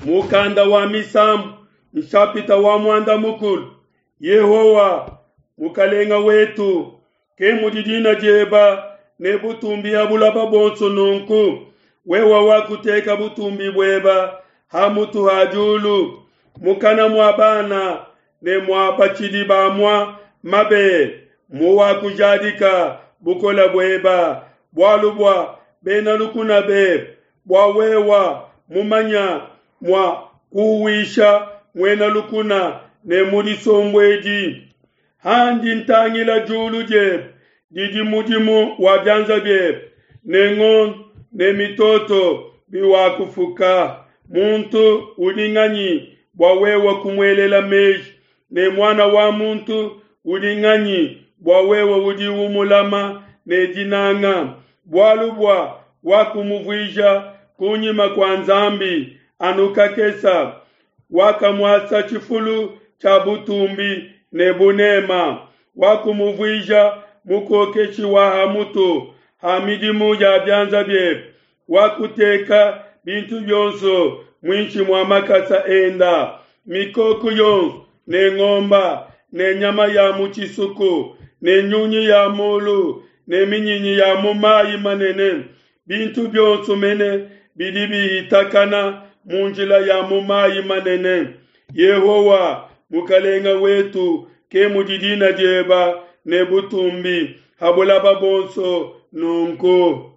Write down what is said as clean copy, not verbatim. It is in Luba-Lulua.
Mukanda wa Misambu, nshapita wa muanda mukulu. Yehowa, Mukalenga wetu, ke mudi dina dieba ne butumbi ha bulaba bonso nunku. Wewa wakuteka butumbi bueba ha mutu ha diulu, mukana mua bana ne mua batshidi bamua mabele, muwakujadika bukole bueba, bualu bua bena lukuna bebe, bua wewa mumanya mua kuwisha muena lukuna ne mudisombuedi. Handi ntangila diulu diebe didi mudimu wa bianza biebe, ne ngondo ne mitoto biwakufuka. Muntu udi nganyi bua wewe kumuelela meji, ne muana wa muntu udi nganyi bua wewe udi umulama ne dinanga? Bualu bua wakumuvuija kunyima kua Nzambi anu kakesa, wakamuasa tshifulu tshia butumbi ne bunema, wakumuvuija mukokeshi wa ha mutu ha midimu ya bianza biebe, wakuteka bintu bionso muinshi mua makasa enda, mikoko yonso ne ngomba ne nyama ya mu tshisuku ne nyunyi ya mulu ne minyinyi ya mu mayi manene, bintu bionso mene bidi bihitakana mu njila ya mu mayi manene. Yehowa, Mukalenga wetu, ke mudi dina dieba ne butumbi ha bulaba bonso nunku.